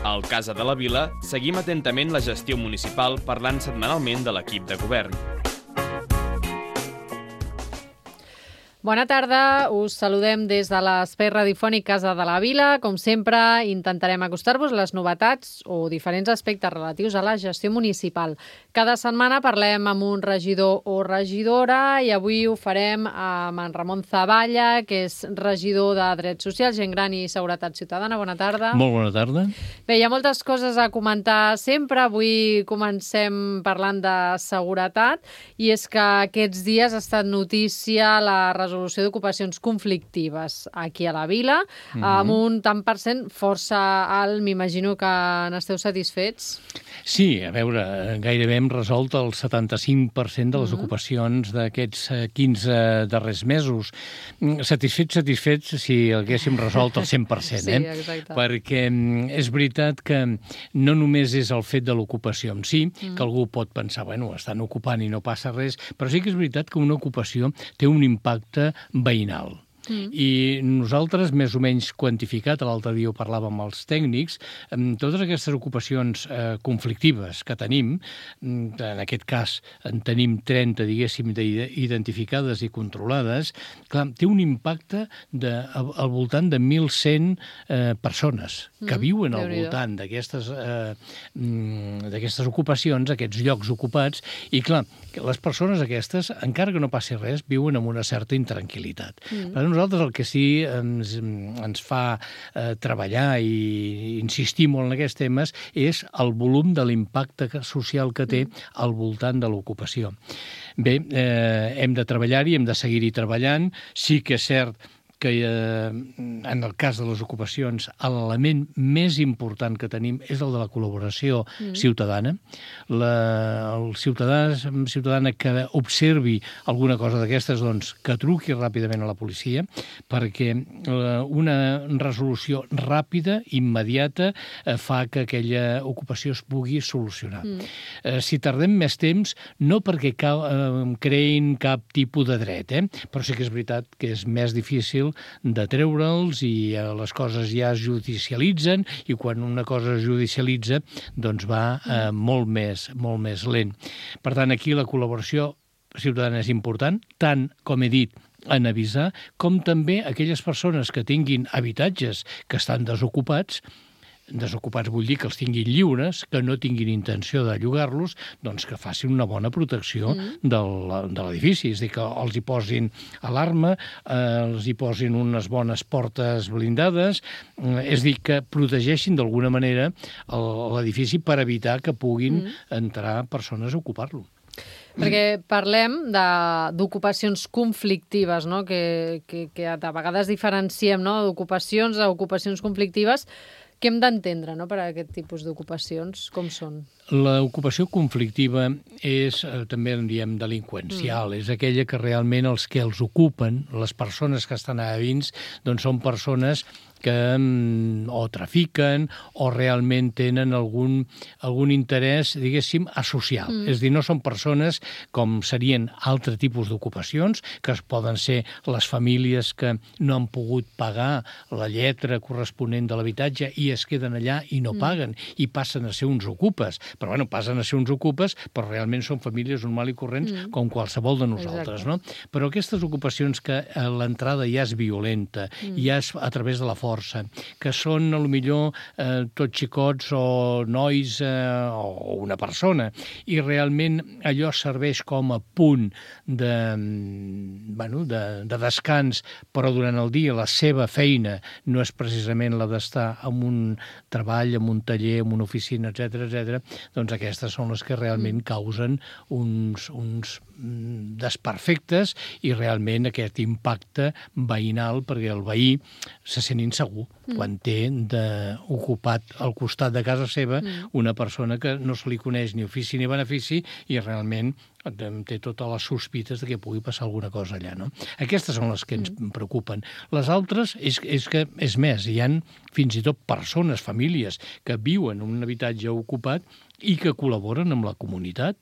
Al Casa de la Vila seguim atentament la gestió municipal parlant setmanalment de l'equip de govern. Bona tarda, us saludem des de l'espai radiofònic Casa de la Vila. Com sempre, intentarem acostar-vos les novetats o diferents aspectes relatius a la gestió municipal. Cada setmana parlem amb un regidor o regidora i avui ho farem amb en Ramon Zavalla, que és regidor de Drets Socials, Gent Gran i Seguretat Ciutadana. Bona tarda. Molt bona tarda. Bé, hi ha moltes coses a comentar sempre. Avui comencem parlant de seguretat i és que aquests dies ha estat notícia la resolució d'ocupacions conflictives aquí a la Vila, amb un tant per cent força alt. M'imagino que n'esteu satisfets? Sí, a veure, gairebé hem resolt el 75% de les ocupacions d'aquests 15 darrers mesos. Satisfets si haguéssim resolt el 100%, Sí, exacte. Perquè és veritat que no només és el fet de l'ocupació en si, que algú pot pensar, bueno, estan ocupant i no passa res, però sí que és veritat que una ocupació té un impacte veïnal. I nosaltres, més o menys quantificat, l'altre dia ho parlàvem amb els tècnics, totes aquestes ocupacions conflictives que tenim, en aquest cas en tenim 30, diguéssim, identificades i controlades, clar, té un impacte al voltant de 1.100 persones que viuen al voltant d'aquestes ocupacions, aquests llocs ocupats, i clar, les persones aquestes, encara que no passi res, viuen amb una certa intranquil·litat. Per nosaltres el que sí ens fa treballar i insistir molt en aquests temes és el volum de l'impacte social que té al voltant de l'ocupació. Bé, hem de treballar-hi, hem de seguir-hi treballant. Sí que és cert que en el cas de les ocupacions l'element més important que tenim és el de la col·laboració ciutadana. El ciutadana que observi alguna cosa d'aquestes, doncs, que truqui ràpidament a la policia, perquè una resolució ràpida, immediata, fa que aquella ocupació es pugui solucionar. Si tardem més temps, no perquè creïn cap tipus de dret, però sí que és veritat que és més difícil de treure'ls i les coses ja es judicialitzen i quan una cosa es judicialitza doncs va molt més lent. Per tant, aquí la col·laboració ciutadana és important, tant, com he dit, en avisar, com també aquelles persones que tinguin habitatges que estan desocupats vull dir que els tinguin lliures, que no tinguin intenció de llogar-los, doncs que facin una bona protecció de l'edifici. És a dir, que els hi posin alarma, els hi posin unes bones portes blindades, és a dir, que protegeixin d'alguna manera l'edifici per evitar que puguin entrar persones a ocupar-lo. Perquè parlem d'ocupacions conflictives, no? que de vegades diferenciem, no? d'ocupacions a ocupacions conflictives. Què hem d'entendre, no?, per a aquest tipus d'ocupacions? Com són? L'ocupació conflictiva és, també en diem, delinqüencial. És aquella que realment els que els ocupen, les persones que estan allà dins, doncs són persones que o trafiquen o realment tenen algun interès, diguéssim, asocial. És a dir, no són persones com serien altre tipus d'ocupacions, que poden ser les famílies que no han pogut pagar la lletra corresponent de l'habitatge i es queden allà i no paguen i passen a ser uns ocupes. Però, bueno, passen a ser uns ocupes, però realment són famílies normal i corrents com qualsevol de nosaltres, no? Però aquestes ocupacions que l'entrada ja és violenta, ja és a través de la força, que són, potser, tots xicots o nois o una persona, i realment allò serveix com a punt de descans, però durant el dia la seva feina no és precisament la d'estar en un treball, en un taller, en una oficina, etc., doncs aquestes són les que realment causen uns desperfectes i realment aquest impacte veïnal, perquè el veí se sent insegur quan té ocupat al costat de casa seva una persona que no se li coneix ni ofici ni benefici i realment té totes les sospites de que pugui passar alguna cosa allà, no? Aquestes són les que ens preocupen. Les altres és que, és més, hi ha fins i tot persones, famílies, que viuen en un habitatge ocupat i que col·laboren amb la comunitat,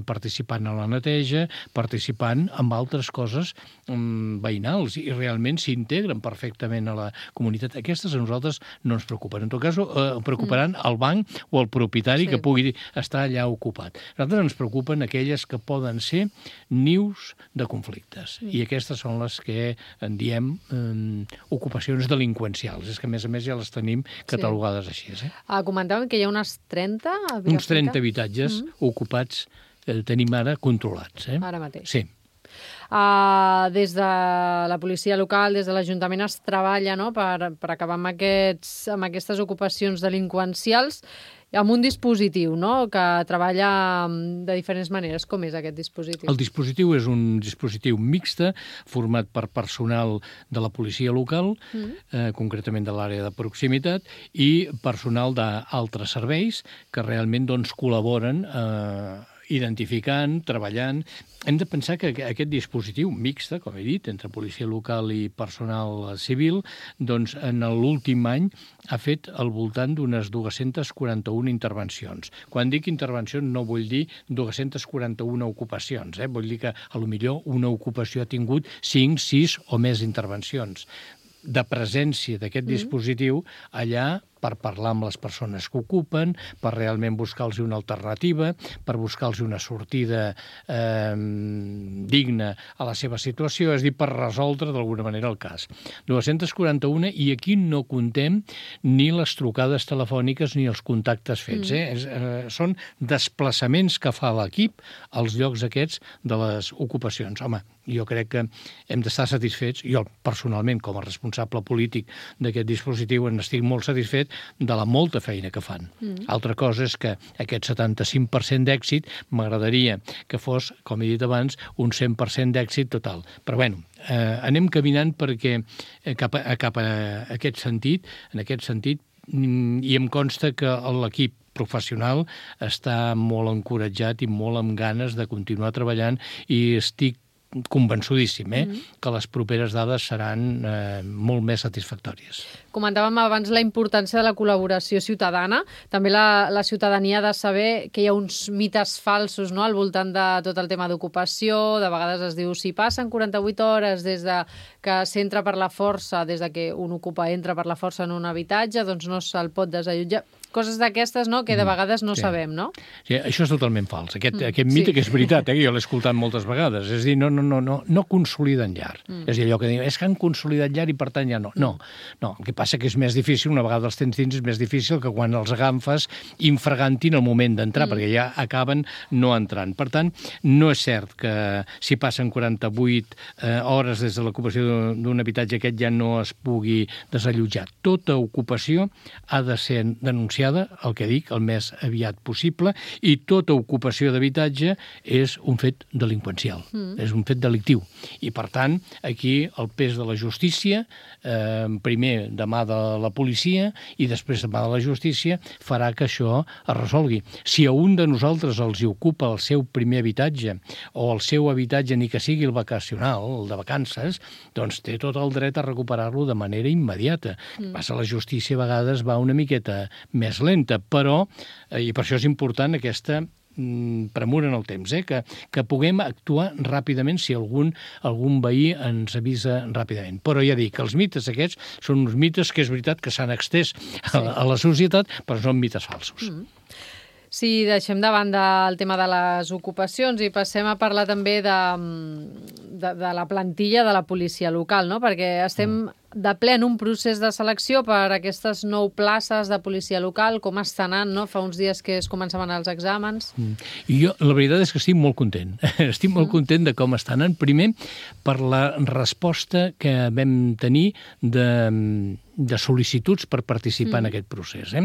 participant a la neteja, participant en altres coses veïnals, i realment s'integren perfectament a la comunitat. Aquestes a nosaltres no ens preocupen. En tot cas, preocuparan el banc o el propietari que pugui estar allà ocupat. A nosaltres ens preocupen aquelles que poden ser nius de conflictes, i aquestes són les que en diem ocupacions delinqüencials. És que, a més, ja les tenim catalogades així. Comentàvem que hi ha unes 30? Uns 30 habitatges ocupats tenim ara controlats. Ara mateix. Sí. Des de la policia local, des de l'Ajuntament es treballa per acabar amb aquestes ocupacions delinqüencials amb un dispositiu que treballa de diferents maneres. Com és aquest dispositiu? El dispositiu és un dispositiu mixte format per personal de la policia local, concretament de l'àrea de proximitat, i personal d'altres serveis que realment col·laboren identificant, treballant. Hem de pensar que aquest dispositiu mixte, com he dit, entre policia local i personal civil, en l'últim any ha fet al voltant d'unes 241 intervencions. Quan dic intervencions no vull dir 241 ocupacions, vull dir que potser una ocupació ha tingut 5, 6 o més intervencions de presència d'aquest dispositiu allà per parlar amb les persones que ocupen, per realment buscar-los una alternativa, per buscar-los una sortida digna a la seva situació, és a dir, per resoldre d'alguna manera el cas. 241, i aquí no contem ni les trucades telefòniques ni els contactes fets. Són desplaçaments que fa l'equip als llocs aquests de les ocupacions. Home, jo crec que hem d'estar satisfets, jo personalment com a responsable polític d'aquest dispositiu n'estic molt satisfet de la molta feina que fan. Altra cosa és que aquest 75% d'èxit m'agradaria que fos, com he dit abans, un 100% d'èxit total. Però bueno, anem caminant perquè cap a aquest sentit, i em consta que l'equip professional està molt encoratjat i molt amb ganes de continuar treballant, i estic convençudíssim que les properes dades seran molt més satisfactòries. Comentàvem abans la importància de la col·laboració ciutadana. També la ciutadania ha de saber que hi ha uns mites falsos al voltant de tot el tema d'ocupació. De vegades es diu, si passen 48 hores des de que s'entra per la força, des de que un ocupa entra per la força en un habitatge, doncs no se'l pot desallotjar. Coses d'aquestes que de vegades no sabem, no? Sí, això és totalment fals. Aquest mite, que és veritat, que jo l'he escoltat moltes vegades. És a dir, no consoliden llar. És a dir, allò que diuen, és que han consolidat llar i per tant ja no. No, el que passa que és més difícil, una vegada els tens dins, és més difícil que quan els agafes infragantin el moment d'entrar, perquè ja acaben no entrant. Per tant, no és cert que si passen 48 hores des de l'ocupació d'un habitatge aquest ja no es pugui desallotjar. Tota ocupació ha de ser denunciada, el que dic, el més aviat possible, i tota ocupació d'habitatge és un fet delinqüencial, és un fet delictiu. I, per tant, aquí el pes de la justícia, primer de mà de la policia i després de mà de la justícia, farà que això es resolgui. Si a un de nosaltres els ocupa el seu primer habitatge o el seu habitatge, ni que sigui el vacacional, el de vacances, doncs té tot el dret a recuperar-lo de manera immediata. Passa, la justícia a vegades va una miqueta més lenta, però, i per això és important aquesta premura en el temps, que puguem actuar ràpidament si algun veí ens avisa ràpidament. Però ja dic que els mites aquests són uns mites que és veritat que s'han extès a la societat, però són mites falsos. Si deixem de banda el tema de les ocupacions i passem a parlar també de la plantilla de la policia local, no? Perquè estem de ple en un procés de selecció per aquestes 9 places de policia local. Com està anant, no? Fa uns dies que es començaven els exàmens. I jo, la veritat és que estic molt content. Estic molt content de com està anant. Primer, per la resposta que vam tenir de sol·licituds per participar en aquest procés.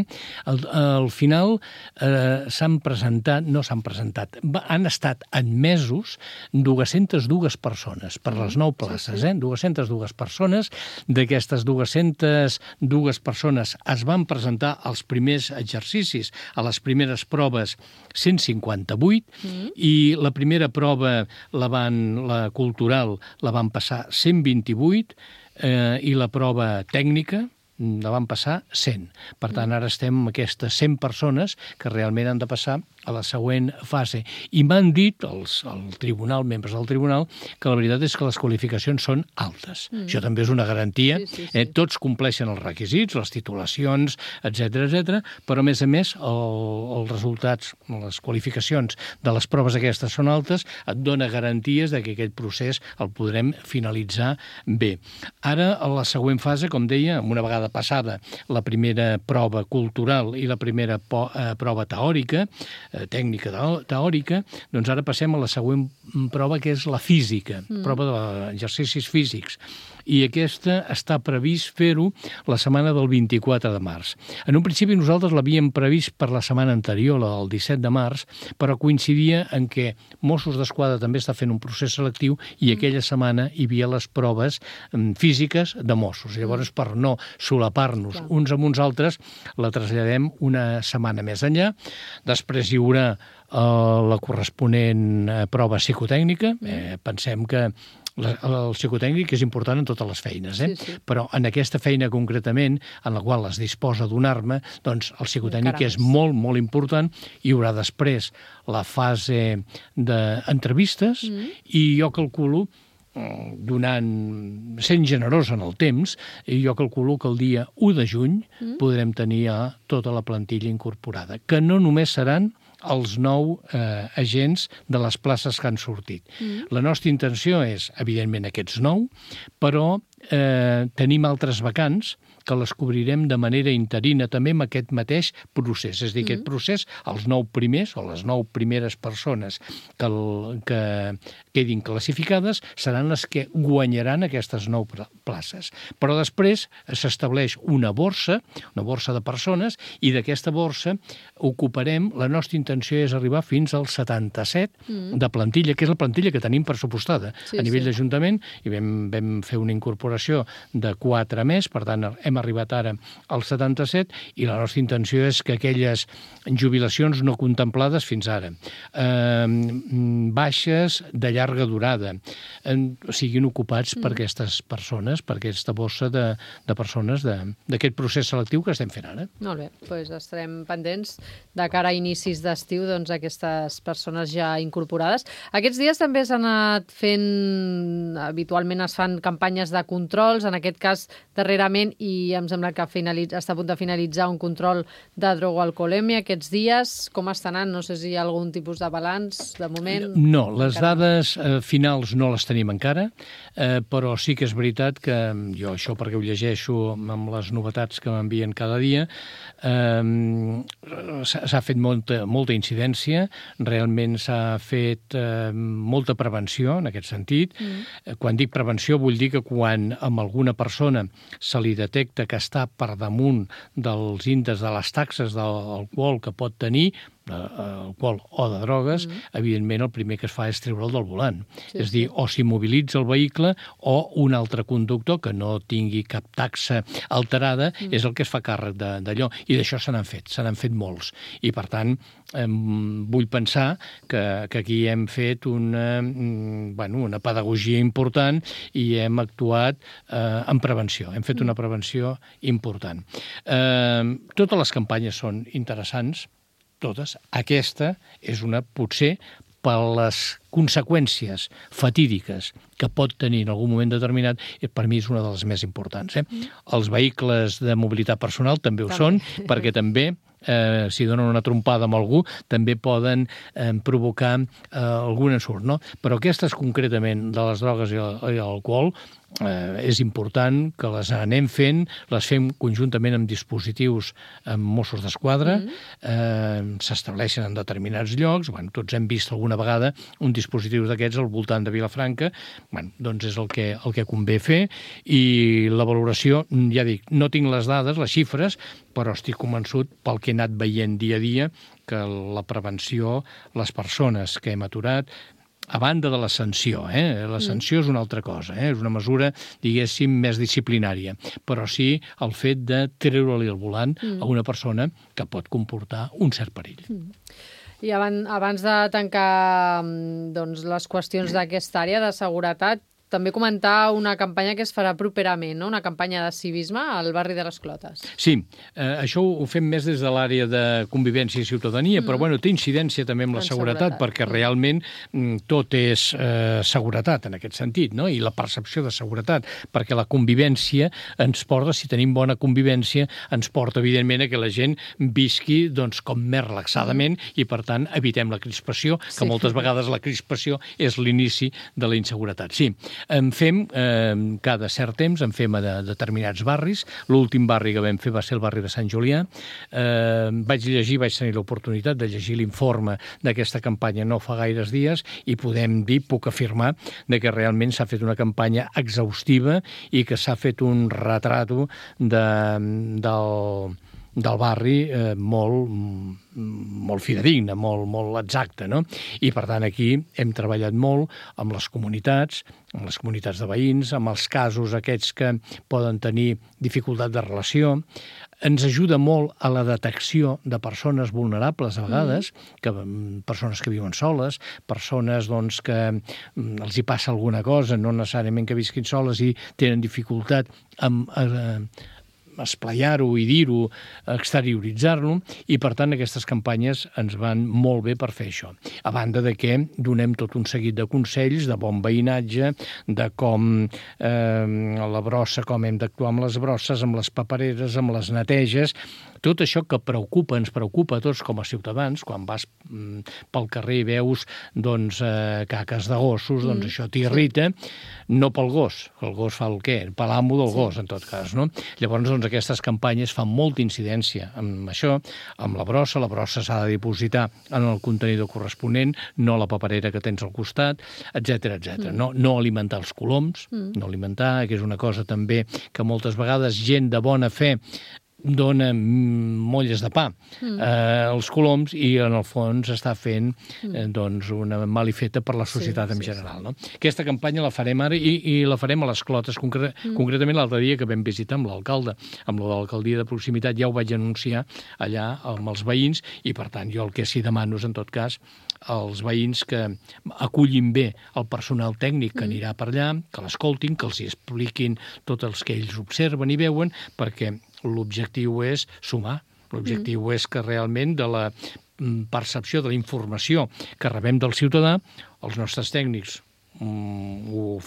Al final s'han presentat, han estat admesos 202 persones per les 9 places, 202 persones, D'aquestes 202 persones es van presentar als primers exercicis, a les primeres proves 158, i la primera prova, la cultural, la van passar 128, i la prova tècnica la van passar 100. Per tant, ara estem amb aquestes 100 persones que realment han de passar a la següent fase. I m'han dit membres del tribunal, que la veritat és que les qualificacions són altes. Això també és una garantia. Sí. Tots compleixen els requisits, les titulacions, etc, però a més, els resultats, les qualificacions de les proves aquestes són altes, et dona garanties de que aquest procés el podrem finalitzar bé. Ara, a la següent fase, com deia, una vegada passada la primera prova cultural i la primera prova teòrica, tècnica teòrica, doncs ara passem a la següent prova, que és la física, prova d'exercicis físics. I aquesta està previst fer-ho la setmana del 24 de març. En un principi nosaltres l'havíem previst per la setmana anterior, la del 17 de març, però coincidia en què Mossos d'Esquadra també està fent un procés selectiu i aquella setmana hi havia les proves físiques de Mossos. Llavors, per no solapar-nos uns amb uns altres, la traslladem una setmana més enllà. Després hi haurà la corresponent prova psicotècnica. Pensem que el psicotècnic és important en totes les feines, sí. Però en aquesta feina concretament, en la qual es disposa d'una arma, doncs el psicotècnic és molt, molt important. Hi haurà després la fase d'entrevistes i jo calculo, sent generós en el temps, jo calculo que el dia 1 de juny podrem tenir tota la plantilla incorporada, que no només seran els 9 agents de les places que han sortit. La nostra intenció és, evidentment, aquests 9, però tenim altres vacants que les cobrirem de manera interina també amb aquest mateix procés. És a dir, aquest procés, els 9 primers o les 9 primeres persones que quedin classificades seran les que guanyaran aquestes 9 places. Però després s'estableix una borsa de persones, i d'aquesta borsa ocuparem, la nostra intenció és arribar fins al 77 de plantilla, que és la plantilla que tenim pressupostada a nivell d'Ajuntament, i vam fer una incorporació de 4 més, per tant hem arribat ara als 77, i la nostra intenció és que aquelles jubilacions no contemplades fins ara, baixes de llarga durada, siguin ocupats per aquestes persones, per aquesta bossa de persones d'aquest procés selectiu que estem fent ara. Molt bé, doncs estarem pendents de cara a inicis d'estiu, doncs aquestes persones ja incorporades. Aquests dies també s'han anat fent, habitualment es fan campanyes de controls, en aquest cas darrerament, i em sembla que està a punt de finalitzar un control de drogoalcoholèmia aquests dies. Com està anant? No sé si hi ha algun tipus de balanç de moment. No, les dades finals no les tenim encara, però sí que és veritat que jo, això perquè ho llegeixo amb les novetats que m'envien cada dia, s'ha fet molta incidència, realment s'ha fet molta prevenció en aquest sentit. Quan dic prevenció vull dir que quan amb alguna persona se li detecta que està per damunt dels índexs de les taxes d'alcohol que pot tenir, alcohol o de drogues, evidentment el primer que es fa és treure'l del volant. És dir, o s'immobilitza el vehicle o un altre conductor que no tingui cap taxa alterada és el que es fa càrrec d'allò. I d'això se n'han fet molts. I per tant, vull pensar que aquí hem fet una pedagogia important i hem actuat en prevenció. Hem fet una prevenció important. Totes les campanyes són interessants, totes. Aquesta és una, potser, per les conseqüències fatídiques que pot tenir en algun moment determinat, per mi és una de les més importants. Els vehicles de mobilitat personal també ho són, perquè també, si donen una trompada amb algú, també poden provocar algun ensurt, no? Però aquestes, concretament, de les drogues i l'alcohol, és important que les anem fent, les fem conjuntament amb dispositius amb Mossos d'Esquadra, s'estableixen en determinats llocs, tots hem vist alguna vegada un dispositiu d'aquests al voltant de Vilafranca, doncs és el que convé fer, i la valoració, ja dic, no tinc les dades, les xifres, però estic convençut pel que he anat veient dia a dia que la prevenció, les persones que hem aturat, a banda de la sanció. La sanció és una altra cosa, és una mesura, diguéssim, més disciplinària, però sí el fet de treure-li el volant a una persona que pot comportar un cert perill. I abans de tancar les qüestions d'aquesta àrea de seguretat, també comentar una campanya que es farà properament, no? Una campanya de civisme al barri de les Clotes. Sí, això ho fem més des de l'àrea de convivència i ciutadania, però té incidència també amb la seguretat, perquè realment tot és seguretat en aquest sentit, no? I la percepció de seguretat, perquè la convivència ens porta, si tenim bona convivència, ens porta, evidentment, a que la gent visqui com més relaxadament i, per tant, evitem la crispació, que moltes vegades la crispació és l'inici de la inseguretat. Sí, en fem, cada cert temps, en fem a determinats barris. L'últim barri que vam fer va ser el barri de Sant Julià. Vaig tenir l'oportunitat de llegir l'informe d'aquesta campanya no fa gaires dies i puc afirmar que realment s'ha fet una campanya exhaustiva i que s'ha fet un retrato del barri molt fidedigne, molt exacte, no? I, per tant, aquí hem treballat molt amb les comunitats de veïns, amb els casos aquests que poden tenir dificultat de relació. Ens ajuda molt a la detecció de persones vulnerables, a vegades, persones que viuen soles, persones que els hi passa alguna cosa, no necessàriament que visquin soles i tenen dificultat amb esplaiar-ho i dir-ho, exterioritzar-lo, i per tant aquestes campanyes ens van molt bé per fer això. A banda de que donem tot un seguit de consells, de bon veïnatge, de com la brossa, com hem d'actuar amb les brosses, amb les papereres, amb les neteges, tot això que ens preocupa a tots com a ciutadans. Quan vas pel carrer i veus caques de gossos, això t'irrita, no pel gos, el gos fa el què? Per l'amo del gos, en tot cas, no? Llavors, aquestes campanyes fan molta incidència amb això, amb la brossa s'ha de dipositar en el contenidor corresponent, no la paperera que tens al costat, etc. No alimentar els coloms, no alimentar, que és una cosa també que moltes vegades gent de bona fe dona molles de pa als coloms i en el fons està fent una malifeta per la societat en general. No? Aquesta campanya la farem ara i la farem a les Clotes, concretament l'altre dia que vam visitar amb l'alcalde, amb l'alcaldia de proximitat, ja ho vaig anunciar allà amb els veïns i per tant jo el que sí demano és en tot cas als veïns que acullin bé el personal tècnic que anirà per allà, que l'escoltin, que els expliquin tot els que ells observen i veuen, perquè l'objectiu és sumar. L'objectiu és que realment de la percepció de la informació que rebem del ciutadà, els nostres tècnics ho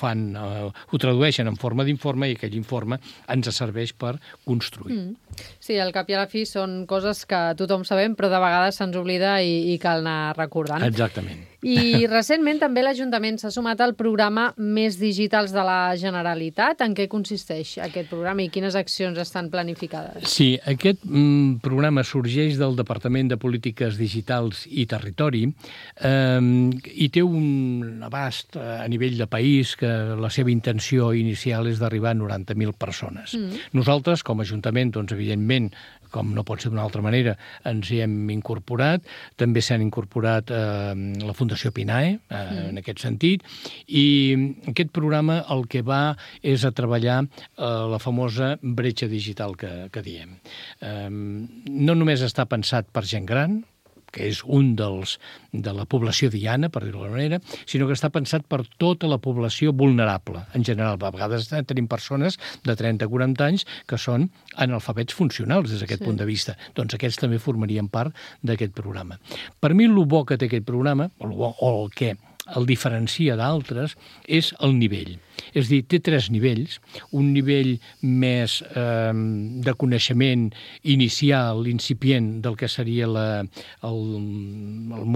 tradueixen en forma d'informe i aquell informe ens serveix per construir. Sí, al cap i a la fi són coses que tothom sabem, però de vegades se'ns oblida i cal anar recordant. Exactament. I recentment també l'Ajuntament s'ha sumat al programa Més Digitals de la Generalitat. En què consisteix aquest programa i quines accions estan planificades? Sí, aquest programa sorgeix del Departament de Polítiques Digitals i Territori i té un abast a nivell de país que la seva intenció inicial és d'arribar a 90.000 persones. Nosaltres, com a Ajuntament, evidentment, com no pot ser d'una altra manera, ens hi hem incorporat. També s'han incorporat la Fundació Pinae, en aquest sentit, i aquest programa el que va és a treballar la famosa bretxa digital que diem. No només està pensat per gent gran, que és un de la població diana, per dir-ho d'alguna manera, sinó que està pensat per tota la població vulnerable. En general, a vegades tenim persones de 30-40 anys que són analfabets funcionals des d'aquest punt de vista. Doncs aquests també formarien part d'aquest programa. Per mi, el bo que té aquest programa, o el que el diferencia d'altres, és el nivell. És a dir, té 3 nivells. Un nivell més de coneixement inicial, incipient, del que seria el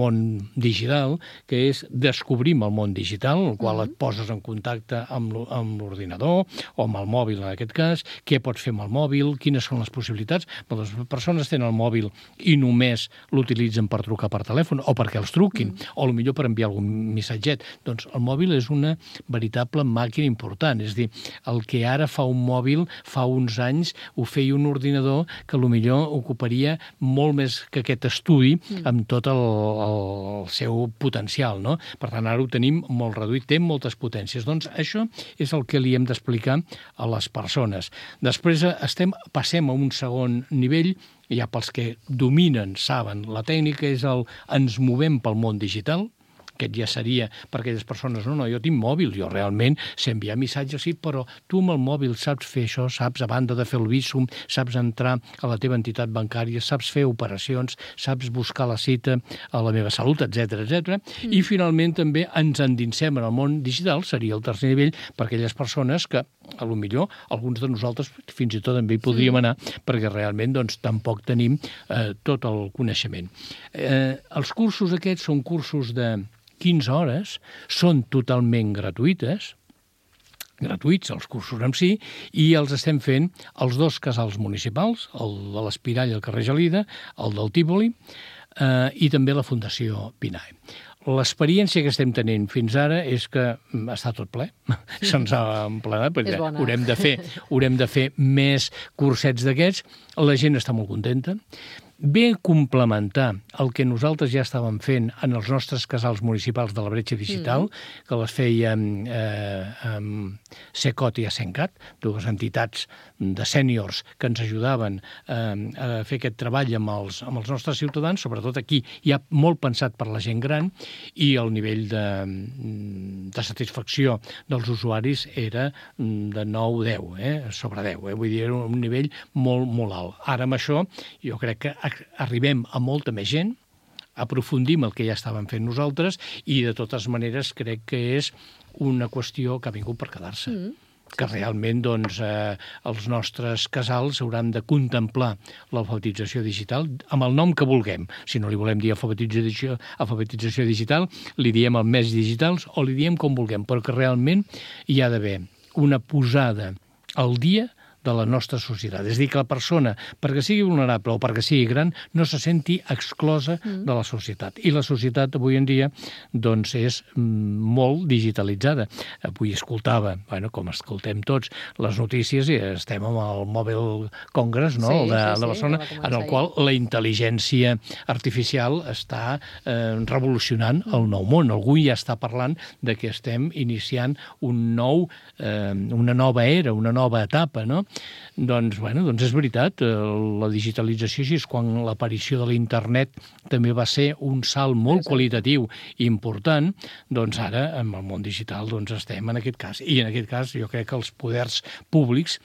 món digital, que és descobrim el món digital, en el qual et poses en contacte amb l'ordinador o amb el mòbil, en aquest cas, què pots fer amb el mòbil, quines són les possibilitats. Les persones tenen el mòbil i només l'utilitzen per trucar per telèfon o perquè els truquin, o potser per enviar algun missatget. Doncs el mòbil és una veritable màquina que era important. És a dir, el que ara fa un mòbil, fa uns anys ho feia un ordinador que potser ocuparia molt més que aquest estudi amb tot el seu potencial, no? Per tant, ara ho tenim molt reduït, té moltes potències. Doncs això és el que li hem d'explicar a les persones. Després passem a un segon nivell, ja pels que dominen, saben, la tècnica és ens movem pel món digital. Aquest ja seria per aquelles persones, no, jo tinc mòbil, jo realment sé enviar missatges, sí, però tu amb el mòbil saps fer això, saps, a banda de fer el Bizum, saps entrar a la teva entitat bancària, saps fer operacions, saps buscar la cita a la meva salut, etc etc. I finalment també ens endinsem en el món digital, seria el tercer nivell, per aquelles persones que, a lo millor, alguns de nosaltres fins i tot també hi podríem anar, perquè realment doncs, tampoc tenim tot el coneixement. Els cursos aquests són cursos de 15 hores, són totalment gratuïts els cursos en si, i els estem fent als 2 casals municipals, el de l'Espirall al carrer Gelida, el del Tívoli, i també la Fundació Pinae. L'experiència que estem tenint fins ara és que està tot ple, se'ns ha emplenat, perquè haurem de fer més cursets d'aquests, la gent està molt contenta. Ve complementar el que nosaltres ja estàvem fent en els nostres casals municipals de la bretxa digital, que les fèiem SECOT i ASENCAT, 2 entitats de sèniors que ens ajudaven a fer aquest treball amb els nostres ciutadans, sobretot aquí ja molt pensat per la gent gran, i el nivell de satisfacció dels usuaris era de 9-10, sobre 10, vull dir, era un nivell molt, molt alt. Ara amb això jo crec que arribem a molta més gent, aprofundim el que ja estàvem fent nosaltres, i de totes maneres crec que és una qüestió que ha vingut per quedar-se. Que realment doncs, els nostres casals hauran de contemplar l'alfabetització digital amb el nom que vulguem. Si no li volem dir alfabetització digital, li diem el més digitals o li diem com vulguem, però que realment hi ha d'haver una posada al dia de la nostra societat. És a dir, que la persona, perquè sigui vulnerable o perquè sigui gran, no se senti exclosa de la societat. I la societat avui en dia doncs, és molt digitalitzada. Avui escoltava, com escoltem tots, les notícies i estem amb el Mobile Congress, no? de Barcelona, en el qual la intel·ligència artificial està revolucionant el nou món. Algú ja està parlant de que estem iniciant una nova era, una nova etapa, no? Doncs és veritat, la digitalització així és quan l'aparició de l'internet també va ser un salt molt qualitatiu i important, doncs ara amb el món digital estem en aquest cas. I en aquest cas jo crec que els poders públics,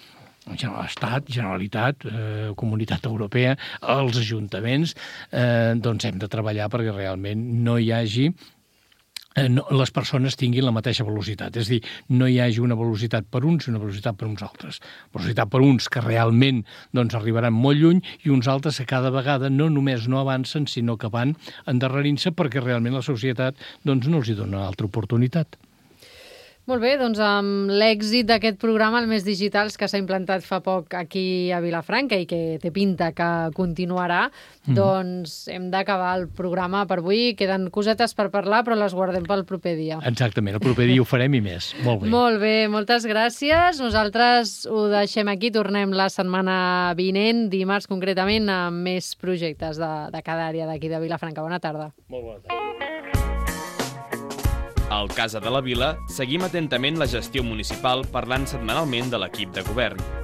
Estat, Generalitat, Comunitat Europea, els ajuntaments, doncs hem de treballar perquè realment no hi hagi les persones tinguin la mateixa velocitat. És a dir, no hi hagi una velocitat per uns i una velocitat per uns altres. Velocitat per uns que realment arribaran molt lluny i uns altres que cada vegada no només no avancen, sinó que van endarrerint-se perquè realment la societat no els hi dona altra oportunitat. Molt bé, doncs amb l'èxit d'aquest programa, el Més Digitals, que s'ha implantat fa poc aquí a Vilafranca i que té pinta que continuarà, doncs hem d'acabar el programa per avui. Queden cosetes per parlar, però les guardem pel proper dia. Exactament, el proper dia ho farem i més. Molt bé. Molt bé, moltes gràcies. Nosaltres ho deixem aquí, tornem la setmana vinent, dimarts concretament, amb més projectes de cada àrea d'aquí de Vilafranca. Bona tarda. Molt bona tarda. Al Casa de la Vila seguim atentament la gestió municipal parlant setmanalment de l'equip de govern.